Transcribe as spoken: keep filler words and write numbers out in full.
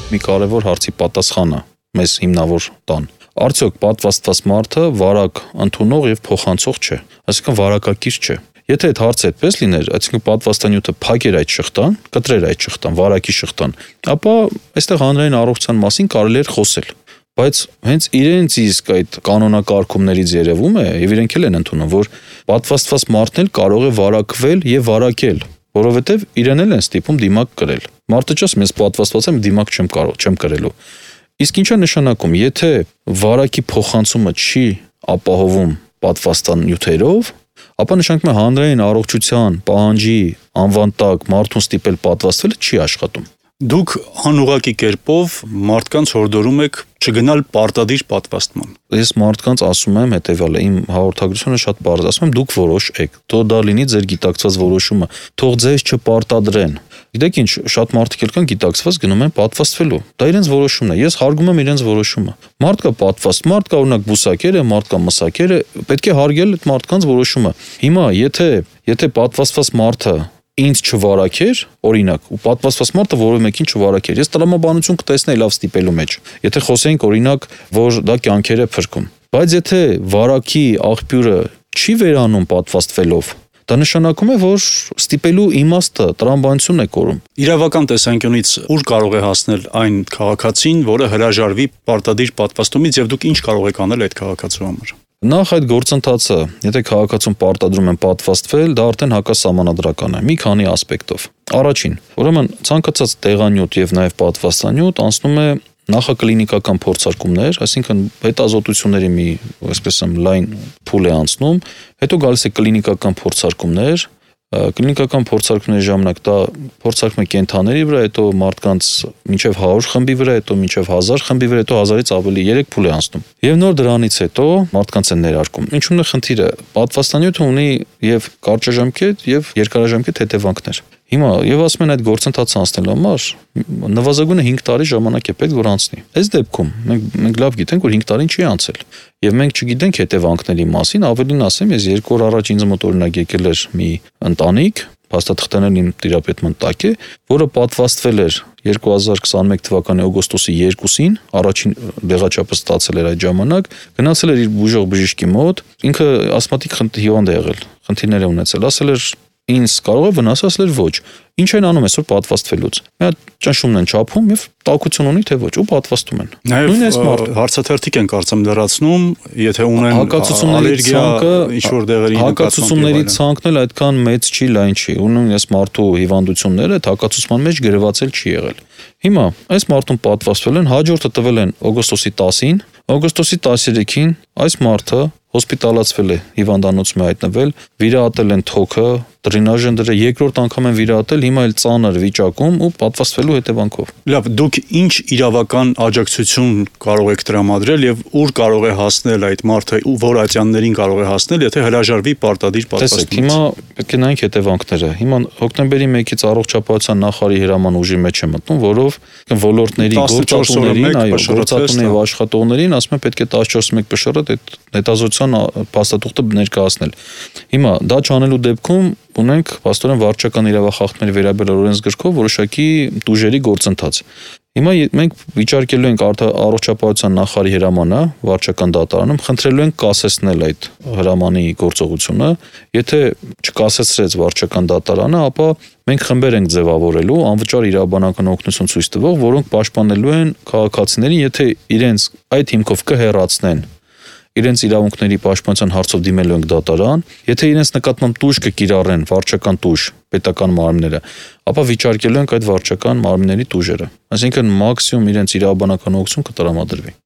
մի կարևոր հարցի պատասխանը մեզ հիմնավոր տան։ Արդյոք պատվաստված մարդը վարակ ընդունող եւ փոխանցող չէ, այսինքն վարակակիր չէ։ Եթե այդ հարցը այդպես լիներ, այսինքն պատվաստանյութը փակեր այդ շղթան, կտրեր այդ շղթան, վարակի շղթան, ապա այստեղ հանրային առողջության մասին կարելի էր խոսել։ Բայց հենց իրենց իսկ այդ կանոնակարգումներից երևում է, եւ իրենք էլ են ընդունում, որ պատվաստված մարդն էլ կարող է վարակվել եւ վարակել, որովհետեւ իրեն էլ են ստիպում դիմակ կրել։ Մարդը չես մեզ պատվաստված եմ դիմակ չեմ կարող, չեմ կրելու։ Իսկ ինչա նշանակում, եթե վարակի փոխանցումը չի ապահովում պատվաստանյութերով, ապա նշանակում է հանրային առողջության պահանջի անվան տակ մարդուն ստիպել պատվաստվելը չի աշխատում։ Դուք անուղղակի կերպով մարդկանց հորդորում եք չգնալ պարտադիր պատվաստման։ Ես մարդկանց ասում եմ հետեւյալը, իմ հաղորդագրությունը շատ բարձր, ասում եմ դուք որոշեք, թող դա լինի ձեր գիտակցված որոշումը, թող ձեզ չպարտադրեն։ Գիտեք ինչ, շատ մարդիկ էլ կան գիտակցված գնում են պատվաստվելու։ Դա իրենց որոշումն է։ Ես հարգում եմ իրենց որոշումը։ Մարդ կա պատվաստ, մարդ կա օրինակ բուսակեր է, մարդ կա մսակեր է, պետք է հարգել այդ մարդկանց որոշումը։ Հիմա եթե եթե պատվաստված մարդը ինձ չվարակեր, օրինակ, ու պատվաստված մարդը որևէ մեկին չվարակեր, ես տրամաբանություն կտեսնեի լավ ստիպելու մեջ։ Եթե խոսենք օրինակ, որ դա կյանքեր է փրկում։ Բայց եթե վարակի աղբյուրը չի վերանում պատվաստվելով, դա նշանակում է, որ ստիպելու իմաստը տրամաբանությունն է կորում։ Իրավական տեսանկյունից ուր կարող է հասնել այն քաղաքացին, որը հրաժարվի պարտադիր պատվաստումից եւ դուք ինչ կարող եք անել այդ քաղաքացու համար։ Նախ այդ գործընթացը, եթե քաղաքացուն պարտադրում են պատվաստվել, դա արդեն հակասահմանադրական է, մի քանի ասպեկտով։ Առաջին, ուրեմն ցանկացած տեղանյութ եւ նաեւ պատվաստանյութ անցնում է նախակլինիկական փորձարկումներ, այսինքն հետազոտությունների մի, այսպես ասեմ, լայն փուլ է անցնում, հետո գալիս է կլինիկական փորձարկումներ, կլինիկական փորձարկումների ժամանակ դա փորձարկում է կենդանիների վրա, հետո մարդկանց մինչև հարյուր խմբի վրա, հետո մինչև հազար խմբի վրա, հետո հազարից ավելի երեք փուլ է անցնում։ Եվ նոր դրանից հետո մարդկանց են ներարկում։ Ինչու՞մն է խնդիրը։ Պատվաստանյութը ունի եւ կարճաժամկետ եւ երկարաժամկետ հետևանքներ։ Հիմա եւ ասում են այդ գործընթացը անցնելու համար նվազագույնը հինգ տարի ժամանակ է պետք որ անցնի։ Այս դեպքում մենք մենք լավ գիտենք որ հինգ տարին չի անցել եւ մենք չգիտենք հետևանքների մասին, ավելին ասեմ, ես երկու օր առաջ ինձ մոտ օրինակ եկել էր մի ընտանիք, փաստաթղթերն իմ տիրապետման տակ է, որը պատվաստվել էր երկու հազար քսաներկու թվականի օգոստոսի երկուսին, առաջին դեղաչափը ստացել էր այդ ժամանակ, գնացել էր իր բուժող բժիշկի մոտ, ինքը ասմատիկ հիվանդ է եղել, խնդիրներ է ունեցել, ասել էր ինձ կարող է վնասել էր ոչ։ Ինչ են անում այսօր պատվաստվելուց։ Մի հատ ճնշումն են չափում եւ տաքություն ունի թե ոչ ու պատվաստում են։ Նաեւ հարցաթերթիկ են կարծեմ լրացնում, եթե ունեն ալերգիա ինչ որ դեղերի հակացությունների ցանկն էլ այդքան մեծ չի, լայն չի։ Ունեն այս մարդու հիվանդությունները հակացուցման մեջ գրվածել չի եղել։ Հիմա այս մարդուն պատվաստվել են, հաջորդը տվել են օգոստոսի տասին, օգոստոսի տասներեքին այս մարդը հոսպիտալացվել է, հիվանդանոցում է հայտնվել, վիրահատել են թոքը, դրինաժ են դրել, երկրորդ անգամ են վիրահատել, հիմա էլ ծանր վիճակում ու պատվաստվելու հետևանքով։ Լավ, դուք ինչ իրավական աջակցություն կարող եք տրամադրել եւ ուր կարող է հասնել այդ մարդը, որ ատյաններին կարող է հասնել, եթե հրաժարվի պարտադիր պատվաստումից։ Հիմա պետք է նայենք հետևանքները։ Հիմա հոկտեմբերի մեկից առողջապահության նախարարի հրաման ուժի մեջ է մտնում, որով ոլորտների գործատուներին, այո, գործատուներին եւ աշխատողներին ասում են պետք է տասնչորս մեկ փշրդ այդ հետազոտության փաստաթուղթը ներկայացնել։ Հիմա դա չանելու դեպքում ունենք փաստորեն վարչական իրավախախտների վերաբերյալ օրենսգրքով որոշակի տուժերի գործընթաց։ Հիմա մենք վիճարկելու ենք առողջապահության նախարարի հրամանը վարչական դատարանում, խնդրելու ենք կասեցնել այդ հրամանի գործողությունը, եթե չկասեցրեց վարչական դատարանը, ապա մենք խմբեր ենք ձևավորելու անվճար իրավաբանական օգնություն ցույց տվող, որոնք պաշտպանելու են քաղաքացիներին, եթե իրենց այդ հիմքով կհեռացնեն իրենց իրավունքների պաշտպանության հարցով դիմելու ենք դատարան, եթե իրենց նկատմամբ տուժ կկիրառեն վարչական տուժ պետական մարմինները, ապա վիճարկելու ենք այդ վարչական մարմինների տուժերը։ Այսինքն մաքսիմում իրենց իրավաբանական օգնություն կտրամադրվի։